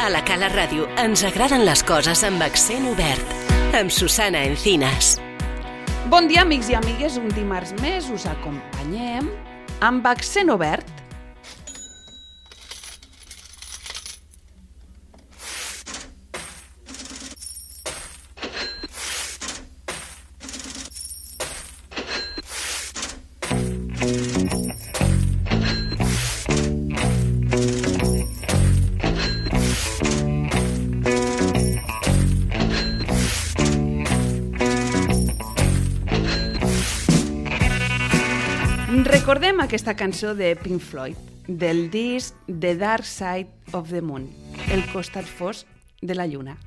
A la Cala Ràdio ens agraden les coses amb accent obert. Amb Susana Encinas. Bon dia, amics i amigues. Un dimarts més us acompanyem amb accent obert. Recordem aquesta cançó de Pink Floyd, del disc The Dark Side of the Moon, el costat fosc de la lluna.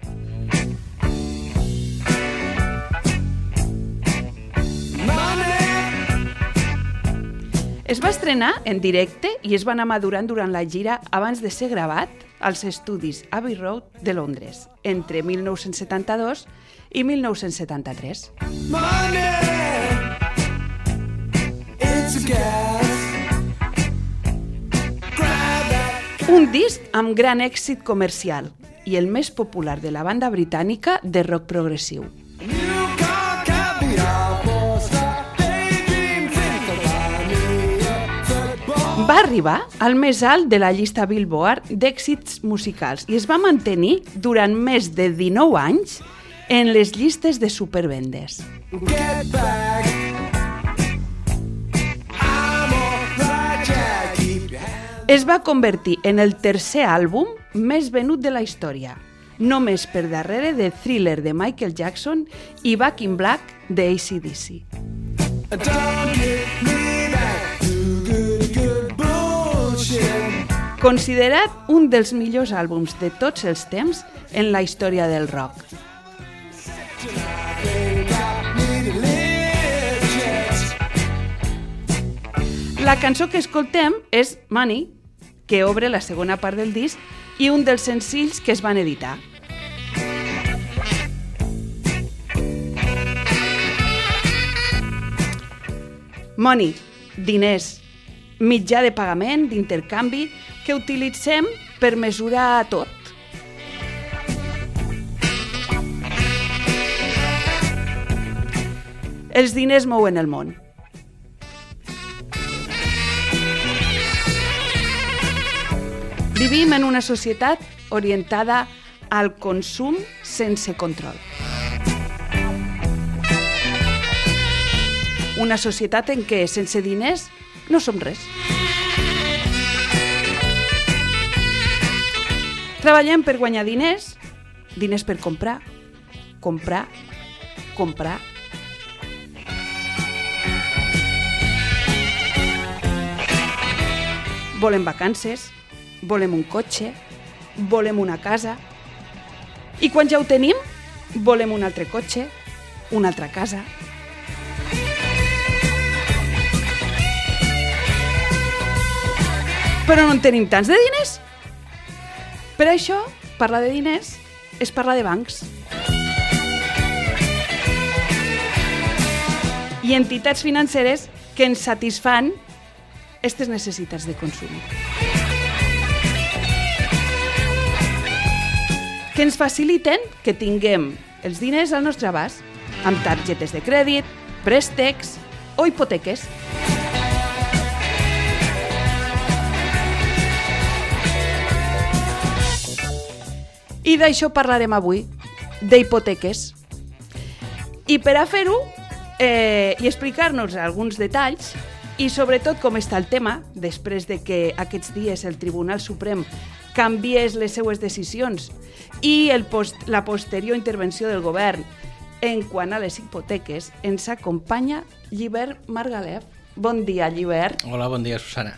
Es va estrenar en directe i es va anar madurant durant la gira abans de ser gravat als estudis Abbey Road de Londres, entre 1972 i 1973. Un disc amb gran èxit comercial i el més popular de la banda britànica de rock progressiu. Va arribar al més alt de la llista Billboard d'èxits musicals i es va mantenir durant més de 19 anys en les llistes de supervendes. Es va convertir en el tercer àlbum més venut de la història, només per darrere de Thriller de Michael Jackson i Back in Black de AC/DC. Considerat un dels millors àlbums de tots els temps en la història del rock. La cançó que escoltem és Money, que obre la segona part del disc i un dels senzills que es van editar. Money, diners, mitjà de pagament, d'intercanvi, que utilitzem per mesurar tot. Els diners mouen el món. Vivim en una societat orientada al consum sense control. Una societat en què sense diners no som res. Treballem per guanyar diners, diners per comprar, comprar, comprar. Volem vacances, volem un cotxe, volem una casa. I quan ja ho tenim, volem un altre cotxe, una altra casa. Però no en tenim tants de diners. Per això, parlar de diners és parlar de bancs. I entitats financeres que ens satisfan aquestes necessitats de consum. Que ens faciliten que tinguem els diners al nostre abast, amb targetes de crèdit, préstecs o hipoteques. I d'això parlarem avui, d'hipoteques. I per a fer-ho i explicar-nos alguns detalls, i sobretot com està el tema, després de que aquests dies el Tribunal Suprem canviés les seues decisions i la posterior intervenció del govern en quant a les hipoteques, ens acompanya Llibert Margalef. Bon dia, Llibert. Hola, bon dia, Susana.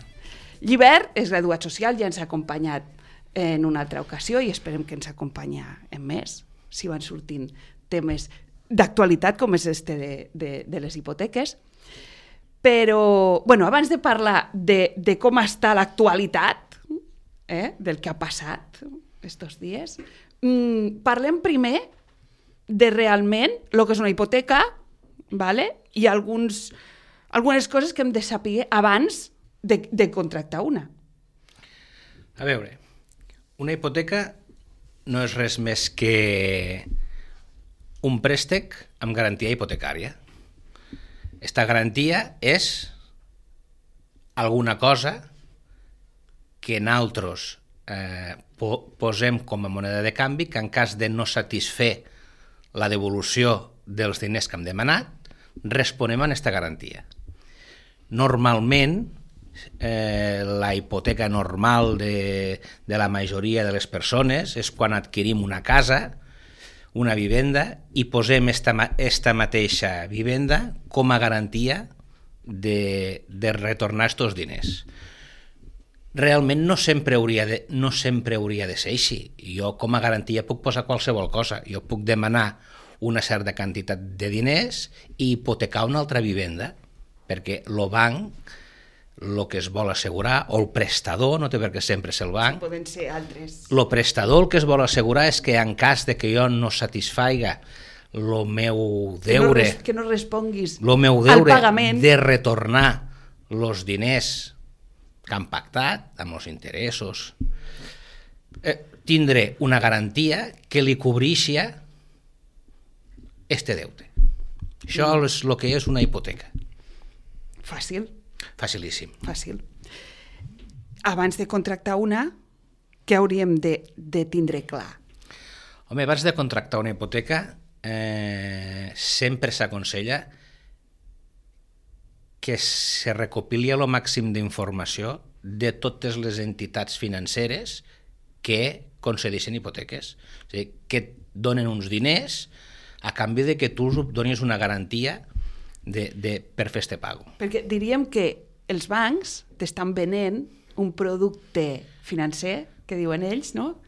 Llibert és graduat social, ja ens ha acompanyat en una altra ocasió i esperem que ens acompanya en més, si van sortint temes d'actualitat com és este de les hipoteques. Però, abans de parlar de com està l'actualitat, del que ha passat estos dies, parlem primer de realment el que és una hipoteca, i algunes coses que hem de saber abans de contractar una. A veure, una hipoteca no és res més que un préstec amb garantia hipotecària. Esta garantia és alguna cosa que nosaltres posem com a moneda de canvi, que en cas de no satisfer la devolució dels diners que hem demanat, responem a aquesta garantia. Normalment, la hipoteca normal de la majoria de les persones és quan adquirim una casa, una vivenda, i posem esta mateixa vivenda com a garantia de retornar aquests diners. Realment no sempre hauria de ser així. Jo com a garantia puc posar qualsevol cosa. Jo puc demanar una certa quantitat de diners i hipotecar una altra vivenda, perquè el banc el que es vol assegurar, o el prestador, no té per què sempre ser el banc, poden ser altres. El prestador el que es vol assegurar és que en cas de que jo no satisfaiga el meu deure, que no responguis al pagament, de retornar els diners que han pactat amb els interessos, tindré una garantia que li cobrixa este deute. Això és el que és una hipoteca. Fàcil. Facilíssim. Fàcil. Abans de contractar una, què hauríem de tindre clar? Home, abans de contractar una hipoteca, sempre s'aconsella que se recopili el màxim d'informació de totes les entitats financeres que concedeixen hipoteques. És a dir, que et donen uns diners a canvi de que tu donis una garantia per fer este pago. Perquè diríem que els bancs t'estan venent un producte financer, que diuen ells, no?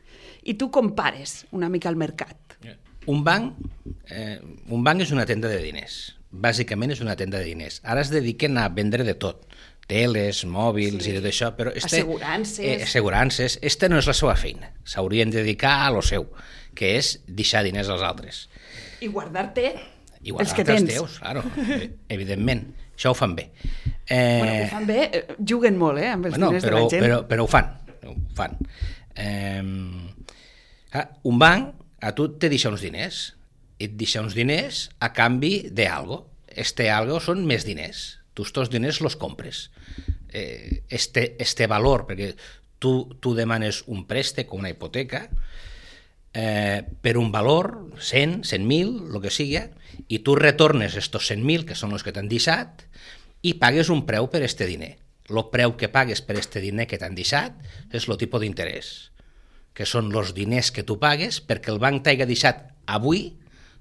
I tu compares una mica el mercat. Un banc és una tenda de diners. Bàsicament és una tenda de diners. Ara es dediquen a vendre de tot, teles, mòbils i tot això, però assegurances. Esta no és la seva feina. S'haurien de dedicar a lo seu, que és deixar diners als altres. I guardar-te els que tens. Teus, claro, evidentment. Això ho fan bé. Ho fan bé, juguen molt, amb els diners de la gent. Però ho fan. Un banc a tu te deixa uns diners, et deixa uns diners a canvi d'algo. Este algo són més diners. Tu estos diners los compres. Este valor, perquè tu demanes un préstec o una hipoteca per un valor, 100, 100.000, el que sigui, i tu retornes estos 100.000, que són els que t'han deixat, i pagues un preu per este diner. El preu que pagues per este diner que t'han deixat és el tipus d'interès, que són els diners que tu pagues perquè el banc t'hagi deixat avui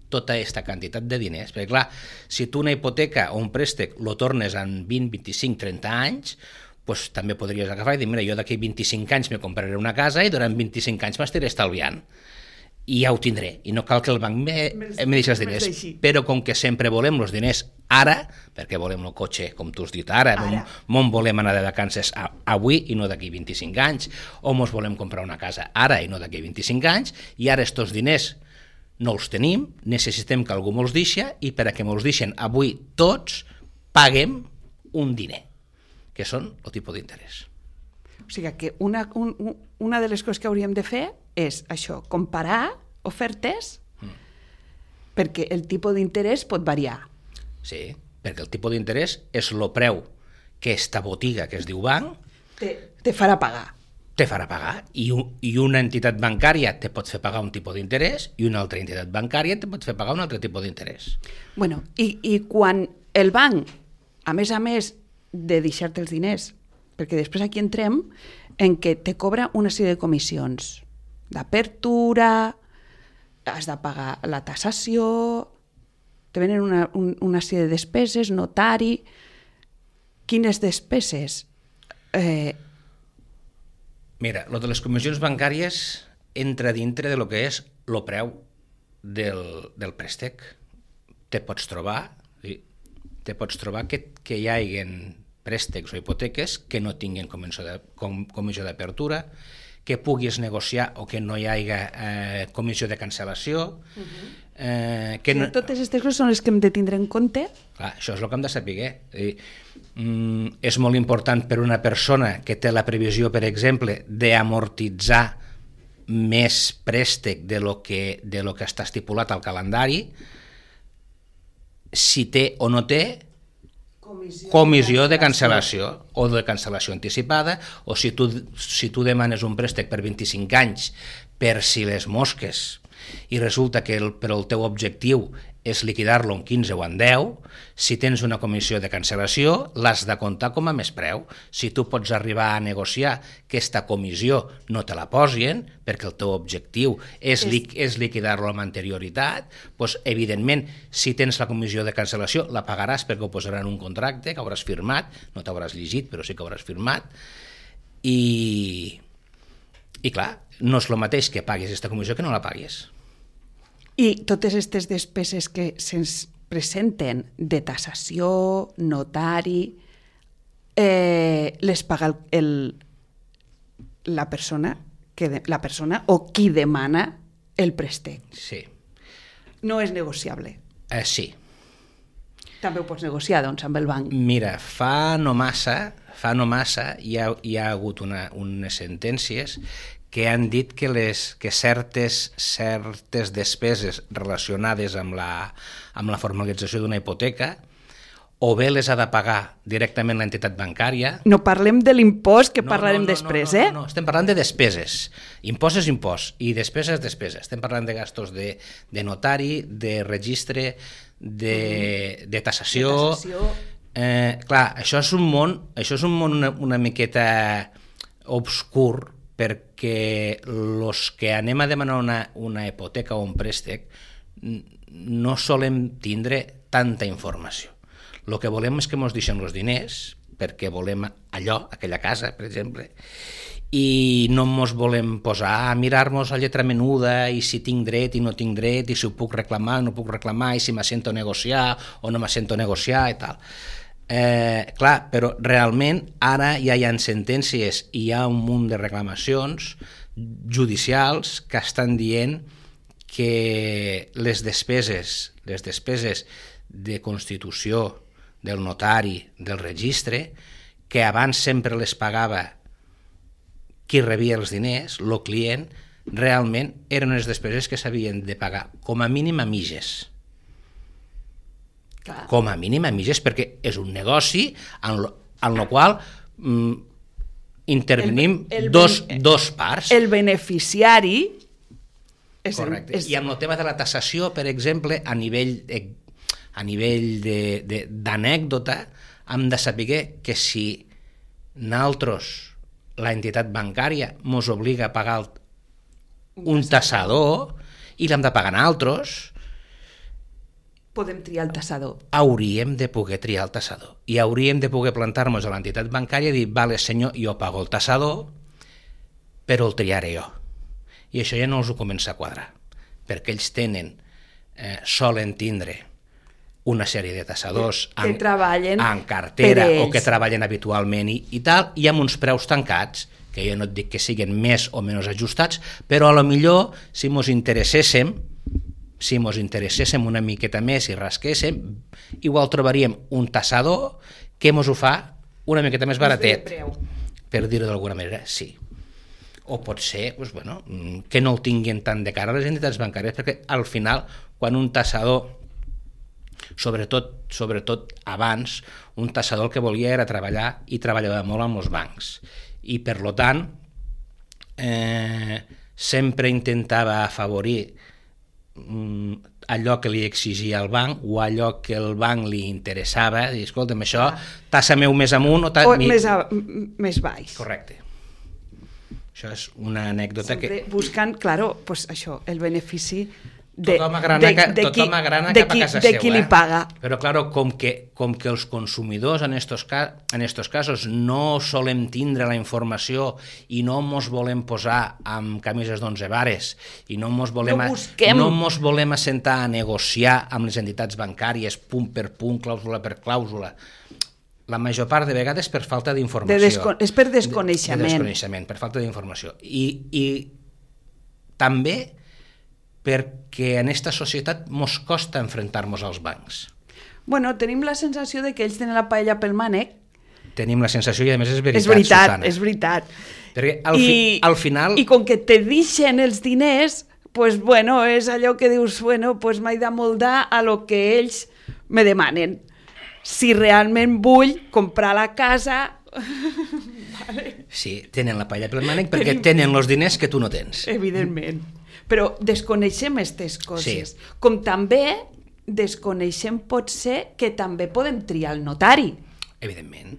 tota aquesta quantitat de diners. Perquè, clar, si tu una hipoteca o un préstec lo tornes en 20, 25, 30 anys, pues, també podries agafar i dir, mira, jo d'aquí 25 anys me compraré una casa i durant 25 anys m'estiré estalviant. I ja ho tindré, i no cal que el banc me deixi els diners. Però com que sempre volem els diners ara, perquè volem el cotxe, com tu has dit ara, on volem anar de vacances avui i no d'aquí 25 anys, o mos volem comprar una casa ara i no d'aquí 25 anys, i ara estos diners no els tenim, necessitem que algú me'ls deixi, i per a que me'ls deixen avui tots, paguem un diner, que són el tipus d'interès. O sigui que una de les coses que hauríem de fer és això, comparar ofertes, perquè el tipus d'interès pot variar. Sí, perquè el tipus d'interès és el preu que esta botiga que es diu banc te farà pagar. Te farà pagar, i una entitat bancària te pot fer pagar un tipus d'interès i una altra entitat bancària te pot fer pagar un altre tipus d'interès. Bueno, i quan el banc, a més de deixar-te els diners, perquè després aquí entrem en què te cobra una sèrie de comissions, d'apertura, has de pagar la tassació, te venen una sèrie de despeses, notari. Quines despeses? Mira, lo de les comissions bancàries entra dintre de lo que és el preu del préstec. Te pots trobar que hi hagi préstecs o hipoteques que no tinguin comissió d'apertura, que puguis negociar o que no hi hagi comissió de cancel·lació. Totes aquestes coses són les que hem de tindre en compte. Clar, això és el que hem de saber. És molt important per una persona que té la previsió, per exemple, d'amortitzar més préstec de lo que està estipulat al calendari, si té o no té comissió de cancel·lació o de cancel·lació anticipada, o si tu demanes un préstec per 25 anys per si les mosques i resulta que però el teu objectiu és liquidar-lo en 15 o en 10, si tens una comissió de cancel·lació l'has de comptar com a més preu. Si tu pots arribar a negociar que aquesta comissió no te la posin perquè el teu objectiu és liquidar-lo amb anterioritat, doncs, evidentment, si tens la comissió de cancel·lació la pagaràs perquè ho posaran en un contracte que hauràs firmat, no t'hauràs llegit però sí que hauràs firmat, i clar, no és el mateix que paguis aquesta comissió que no la paguis. I totes aquestes despeses que se'ns presenten de tassació, notari, les paga la persona o qui demana el préstec. Sí. No és negociable. Sí. També ho pots negociar, doncs, amb el banc. Mira, fa no massa hi ha hagut unes sentències que han dit que certes despeses relacionades amb la formalització d'una hipoteca o bé les ha de pagar directament l'entitat bancària. No parlem de l'impost, que parlarem després, eh? No, estem parlant de despeses. Impost és impost i despesa és despesa. Estem parlant de gastos de notari, de registre, de tassació. Clar, això és un món una miqueta obscur, perquè els que anem a demanar una hipoteca o un préstec no solem tindre tanta informació. El que volem és que ens deixen els diners, perquè volem aquella casa, per exemple, i no ens volem posar a mirar-nos la lletra menuda i si tinc dret i no tinc dret, i si ho puc reclamar o no puc reclamar, i si m'assento a negociar o no m'assento a negociar i tal. Clar, però realment ara ja hi ha sentències i hi ha un munt de reclamacions judicials que estan dient que les despeses de constitució del notari, del registre, que abans sempre les pagava qui rebia els diners, el client, realment eren unes despeses que s'havien de pagar com a mínim a mitges. Com a mínim a mitges, perquè és un negoci en el qual intervenim dos parts. El beneficiari correcte. I amb el tema de la tassació, per exemple, a nivell d'anècdota, hem de saber que si nosaltres, la entitat bancària, ens obliga a pagar un tassador i l'hem de pagar nosaltres, podem triar el tassador. Hauríem de poder triar el tassador i hauríem de poder plantar-nos a l'entitat bancària i dir, vale senyor, jo pago el tassador, però el triaré jo. I això ja no els ho comença a quadrar, perquè ells solen tindre una sèrie de tassadors en cartera o que treballen habitualment i tal, i amb uns preus tancats, que jo no et dic que siguin més o menys ajustats, però a lo millor si mos interesséssim una miqueta més i rasquéssim, igual trobaríem un tassador que mos ho fa una miqueta més baratet, per dir-ho d'alguna manera, sí. O pot ser que no el tinguin tant de cara a les entitats bancàries, perquè al final, quan un tassador, sobretot abans, un tassador el que volia era treballar i treballava molt amb els bancs. I per tant, sempre intentava afavorir allò que li exigia el banc o allò que el banc li interessava, dir, escolta'm, això, tassa meu més amunt o més baix. Correcte. Això és una anècdota sempre buscant, pues això, el benefici tothom agrana cap a casa de qui li paga. Però, claro, com que els consumidors en estos casos no solem tindre la informació i no ens volem posar amb camises d'11 vares i no ens volem assentar a negociar amb les entitats bancàries punt per punt, clàusula per clàusula, la major part de vegades per falta d'informació. És per desconeixement. Per falta d'informació. I també perquè en aquesta societat mos costa enfrontar-nos als bancs. Tenim la sensació de que ells tenen la paella pel mànec Tenim la sensació, i a més és veritat, Susana. Susana. És veritat. Perquè al final... I com que te deixen els diners, pues, bueno, és allò que dius, bueno, pues m'he d'amoldar a lo que ells me demanen. Si realment vull comprar la casa... Vale. Sí, tenen la palla pel mànec perquè tenen els diners que tu no tens. Evidentment. Però desconeixem aquestes coses. Sí. Com també desconeixem potser que també podem triar el notari. Evidentment.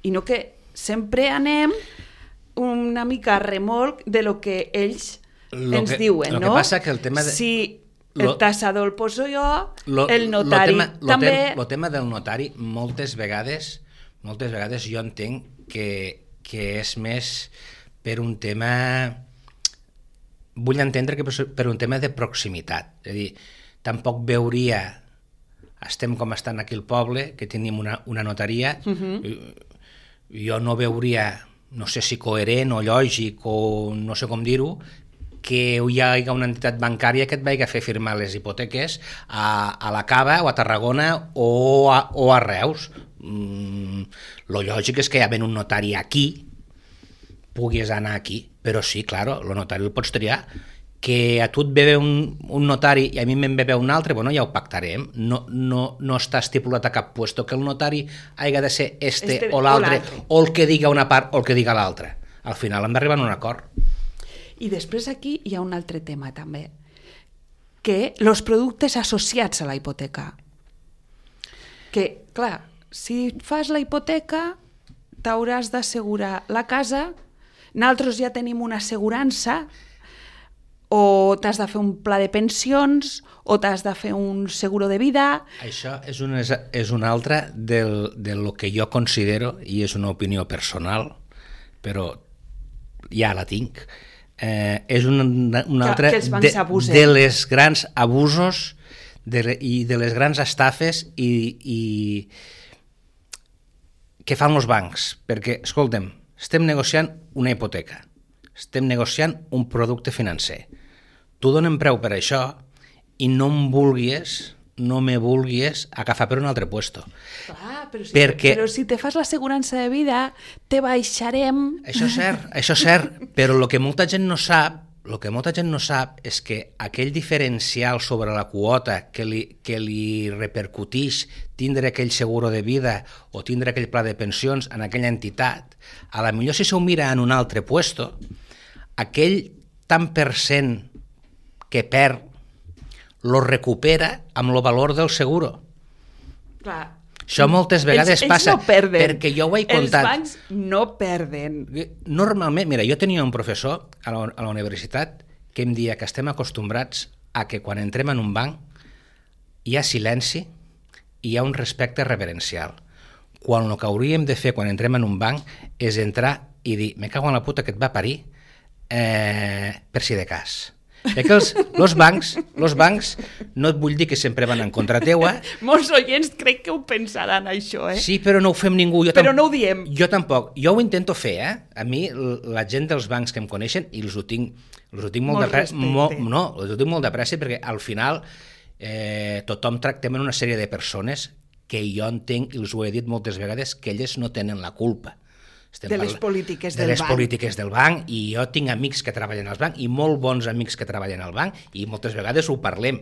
I no que sempre anem una mica a remolc de lo que ells ens diuen, no? El que passa que el tema de... Si el tassador el poso jo, el notari també... El tema del notari moltes vegades jo entenc que és més per un tema... Vull entendre que per un tema de proximitat. És a dir, tampoc veuria... Estem com estan aquí al poble, que tenim una notaria. Jo no veuria, no sé si coherent o lògic o no sé com dir-ho, que hi hagi una entitat bancària que et vagi a fer firmar les hipoteques a la Cava o a Tarragona o a Reus. Lo lògic és que hi ha un notari aquí, puguis anar aquí, però sí, claro, el notari el pots triar. Que a tu et ve un notari i a mi me'n ve un altre, bueno, ja ho pactarem. No està estipulat a cap puesto que el notari hagi de ser este o l'altre, o el que diga una part o el que diga l'altra. Al final hem d'arribar a un acord. I després aquí hi ha un altre tema també, que els productes associats a la hipoteca. Que, clar, si fas la hipoteca t'hauràs d'assegurar la casa, nosaltres ja tenim una assegurança, o t'has de fer un pla de pensions, o t'has de fer un seguro de vida... Això és una altra de lo que jo considero, i és una opinió personal, però ja la tinc, és una altra de les grans abusos i de les grans estafes i que fan els bancs. Perquè, escolta'm, estem negociant una hipoteca, estem negociant un producte financer. Tu donem preu per això i no me vulguis agafar per un altre puesto. Clar, però si te fas l'assegurança de vida, te baixarem... Això és cert, però el que molta gent no sap és que aquell diferencial sobre la quota que li repercutix tindre aquell seguro de vida o tindre aquell pla de pensions en aquella entitat, a la millor si s'ho mira en un altre puesto, aquell tant per cent que perd lo recupera amb el valor del seguro. Clar. Això moltes vegades passa, no perden. perquè jo ho he contat. Els bancs no perden. Normalment, mira, jo tenia un professor a la universitat que em deia que estem acostumbrats a que quan entrem en un banc hi ha silenci i hi ha un respecte reverencial. Quan el que hauríem de fer quan entrem en un banc és entrar i dir, me cago en la puta que et va parir, per si de cas. Que els bancs, no et vull dir que sempre van en contra teua. Molts oients crec que ho pensaran, això, eh? Sí, però no ho fem ningú. Però no ho diem. Jo tampoc. Jo ho intento fer, eh? A mi, la gent dels bancs que em coneixen, i els ho tinc molt de pressa. Els ho tinc molt de pressa perquè al final tothom tractem en una sèrie de persones que jo entenc, i els ho he dit moltes vegades, que elles no tenen la culpa. Les polítiques del banc, i jo tinc amics que treballen al banc i molt bons amics que treballen al banc i moltes vegades ho parlem.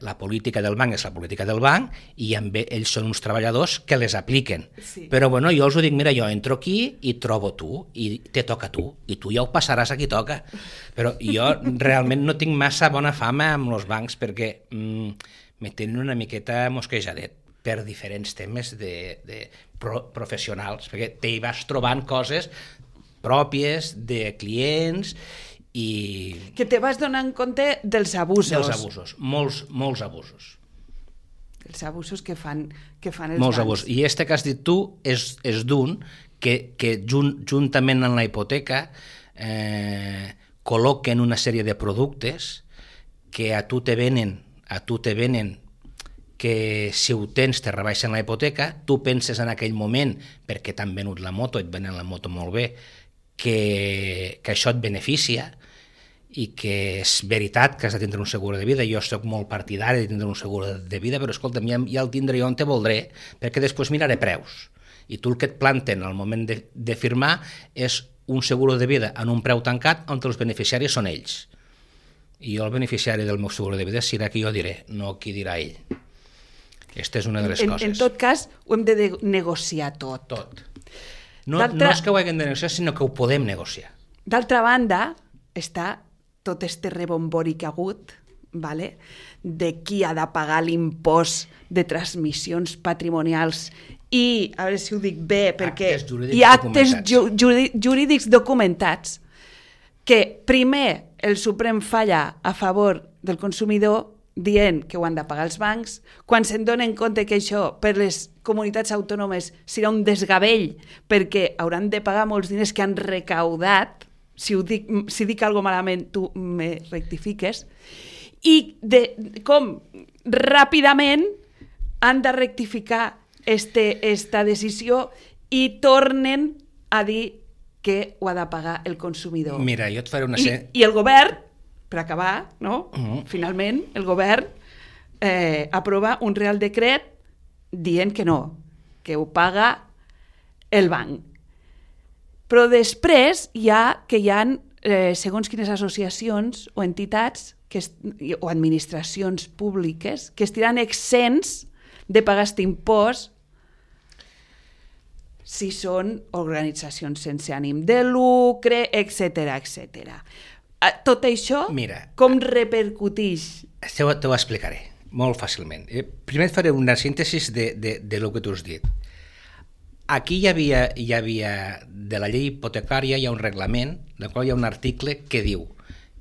La política del banc és la política del banc i ells són uns treballadors que les apliquen. Sí. Però bueno, jo els ho dic, mira, jo entro aquí i trobo tu i te toca a tu i tu ja ho passaràs a qui toca. Però jo realment no tinc massa bona fama amb els bancs perquè me tenen una miqueta mosquejadet per diferents temes professionals, perquè t'hi vas trobant coses pròpies de clients i... Que te vas donant compte dels abusos. Dels abusos, molts abusos. Els abusos que fan els molts bancs. Abusos. I este que has dit tu és d'un que juntament amb la hipoteca col·loquen una sèrie de productes que a tu te venen que si ho tens te rebaixen la hipoteca, tu penses en aquell moment, perquè t'han venut la moto, et venen la moto molt bé, que això et beneficia i que és veritat que has de tindre un seguro de vida. Jo soc molt partidari de tindre un seguro de vida, però escolta'm, ja el tindré on te voldré, perquè després miraré preus. I tu el que et planten al moment de firmar és un seguro de vida en un preu tancat on els beneficiaris són ells. I jo el beneficiari del meu seguro de vida serà qui jo diré, no qui dirà ell. Aquesta és una de les coses. En tot cas, ho hem de negociar tot. Tot. No és que ho haguem de negociar, sinó que ho podem negociar. D'altra banda, està tot este rebombori que ha hagut, vale? De qui ha de pagar l'impost de transmissions patrimonials i, a veure si ho dic bé, perquè hi ha actes jurídics documentats que primer el Suprem falla a favor del consumidor dient que ho han de pagar els bancs, quan se'n donen compte que això per les comunitats autònomes serà un desgavell perquè hauran de pagar molts diners que han recaudat, si dic alguna cosa malament tu me rectifiques, i com ràpidament han de rectificar esta decisió i tornen a dir que ho ha de pagar el consumidor. Mira, jo et faré una... I el govern, per acabar, no? Finalment, el govern aprova un Real Decret dient que no, que ho paga el banc. Però després hi ha segons quines associacions o entitats o administracions públiques que estiran exents de pagar aquest impost si són organitzacions sense ànim de lucre, etc. Tot això, mira, com repercuteix? T'ho explicaré molt fàcilment. Primer et faré una síntesi de lo que tu has dit. Aquí hi havia de la llei hipotecària, hi ha un reglament, del qual hi ha un article que diu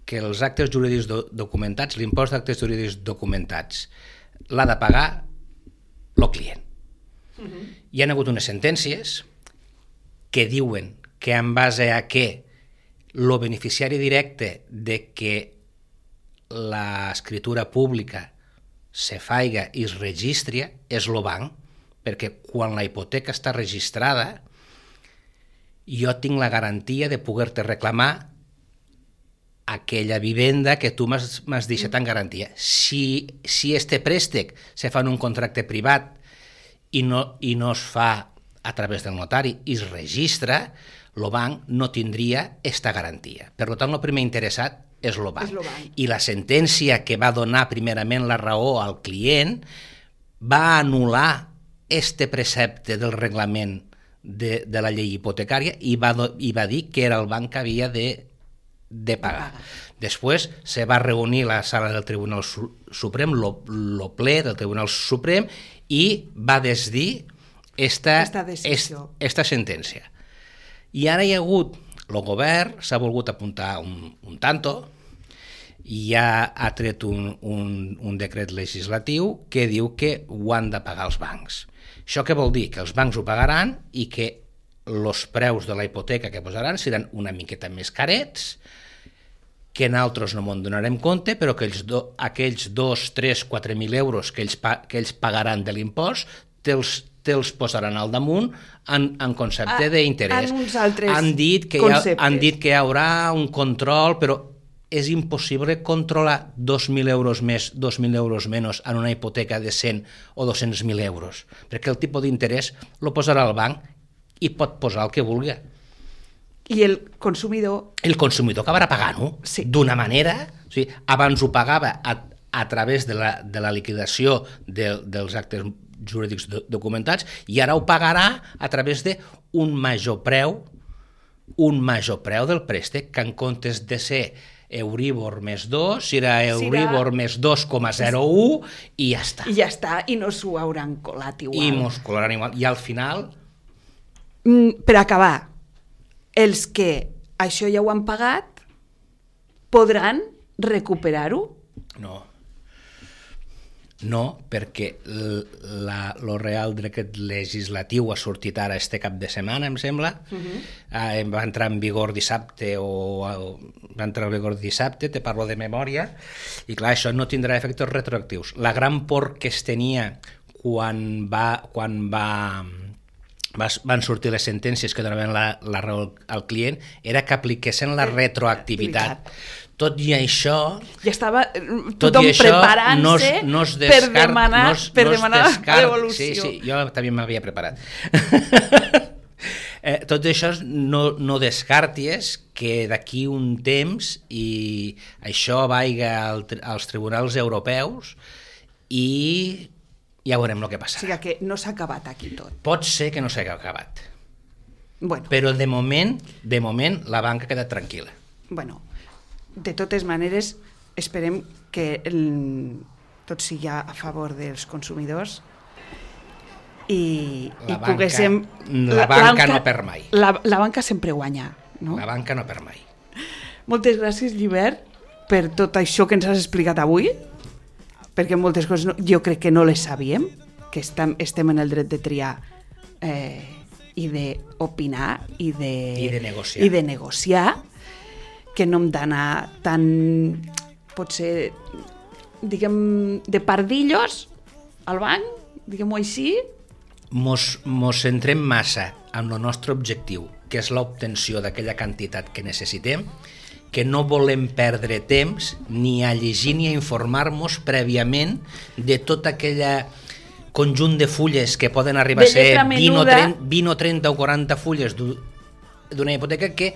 que els actes jurídics documentats, l'impost d'actes jurídics documentats, l'ha de pagar el client. Hi ha hagut unes sentències que diuen que en base a que el beneficiari directe de que l'escriptura pública se faiga i es registri és el banc, perquè quan la hipoteca està registrada jo tinc la garantia de poder-te reclamar aquella vivenda que tu m'has deixat en garantia. Si este préstec se fa en un contracte privat i no es fa a través del notari i es registra, el banc no tindria esta garantia. Per tant, el primer interessat és el banc. I la sentència que va donar primerament la raó al client va anul·lar este precepte del reglament de la llei hipotecària i va dir que era el banc que havia de pagar. Després se va reunir la sala del Tribunal Suprem, el ple del Tribunal Suprem, i va desdir esta sentència. I ara hi ha hagut, el govern s'ha volgut apuntar un tanto i ja ha tret un decret legislatiu que diu que ho han de pagar els bancs. Això què vol dir? Que els bancs ho pagaran i que els preus de la hipoteca que posaran seran una miqueta més carets, que nosaltres no m'en donarem compte, però que aquells 2, 3, 4.000 euros que ells pagaran de l'impost te'ls posaran al damunt en concepte d'interès. Han dit que hi haurà un control, però és impossible controlar 2.000 euros més, 2.000 euros menys en una hipoteca de 100 o 200.000 euros, perquè el tipus d'interès el posarà el banc i pot posar el que vulgui. I el consumidor... El consumidor acabarà pagant-ho d'una manera... O sigui, abans ho pagava a través de la liquidació dels actes jurídics documentats i ara ho pagarà a través d'un major preu del préstec, que en comptes de ser Euribor més 2, serà Euribor més 2,01 i ja està. I ja està, i no s'ho hauran colat igual. I mos colaran igual. I al final... Per acabar, els que això ja ho han pagat podran recuperar-ho? No, perquè el Real Decret legislatiu ha sortit ara este cap de setmana, em sembla. Va entrar en vigor dissabte te parlo de memòria, i clar, això no tindrà efectes retroactius. La gran por que es tenia quan van sortir les sentències que donaven la raó al client era que apliquessin la retroactivitat. Tot i això... Ja estava tothom preparant-se per demanar la devolució. Sí, jo també m'havia preparat. Tot això no descarties que d'aquí un temps i això vaiga als tribunals europeus i ja veurem el que passa. O sigui que no s'ha acabat aquí tot. Pot ser que no s'hagi acabat. Bueno. Però de moment la banca ha quedat tranquil·la. Bueno, de totes maneres, esperem que tot sigui a favor dels consumidors i poguéssim... La banca no perd mai. La banca sempre guanya, no? La banca no perd mai. Moltes gràcies, Llibert, per tot això que ens has explicat avui, perquè moltes coses jo crec que no les sabíem, que estem en el dret de triar i d'opinar i de negociar, que no hem d'anar tan, potser, diguem, de pardillos al banc, diguem-ho així. Mos centrem massa en el nostre objectiu, que és l'obtenció d'aquella quantitat que necessitem, que no volem perdre temps ni a llegir ni a informar-nos prèviament de tot aquell conjunt de fulles que poden arribar a ser 20 o 30 o 40 fulles d'una hipoteca que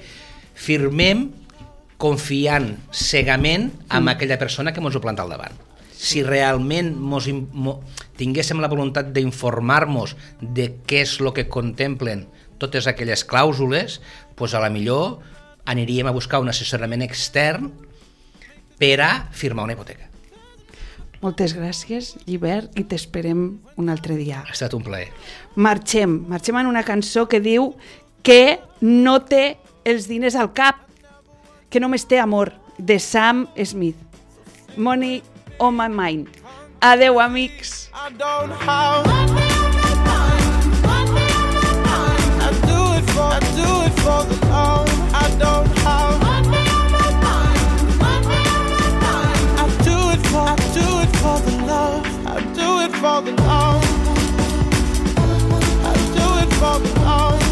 firmem confiant cegament en aquella persona que ens ho planta al davant. Si realment tinguéssim la voluntat d'informar-nos de què és el que contemplen totes aquelles clàusules, doncs a la millor aniríem a buscar un assessorament extern per a firmar una hipoteca. Moltes gràcies, Llibert, i t'esperem un altre dia. Ha estat un plaer. Marxem en una cançó que diu que no té els diners al cap, que només té amor, de Sam Smith. Money on my mind. Adeu, amics. I don't have I do it for the love. I don't have I do it for the love. I do it for the love. I do it for the love.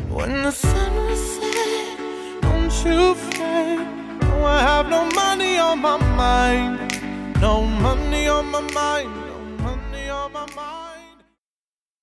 When the sun was set, don't you fret. No, I have no money on my mind. No money on my mind. No money on my mind.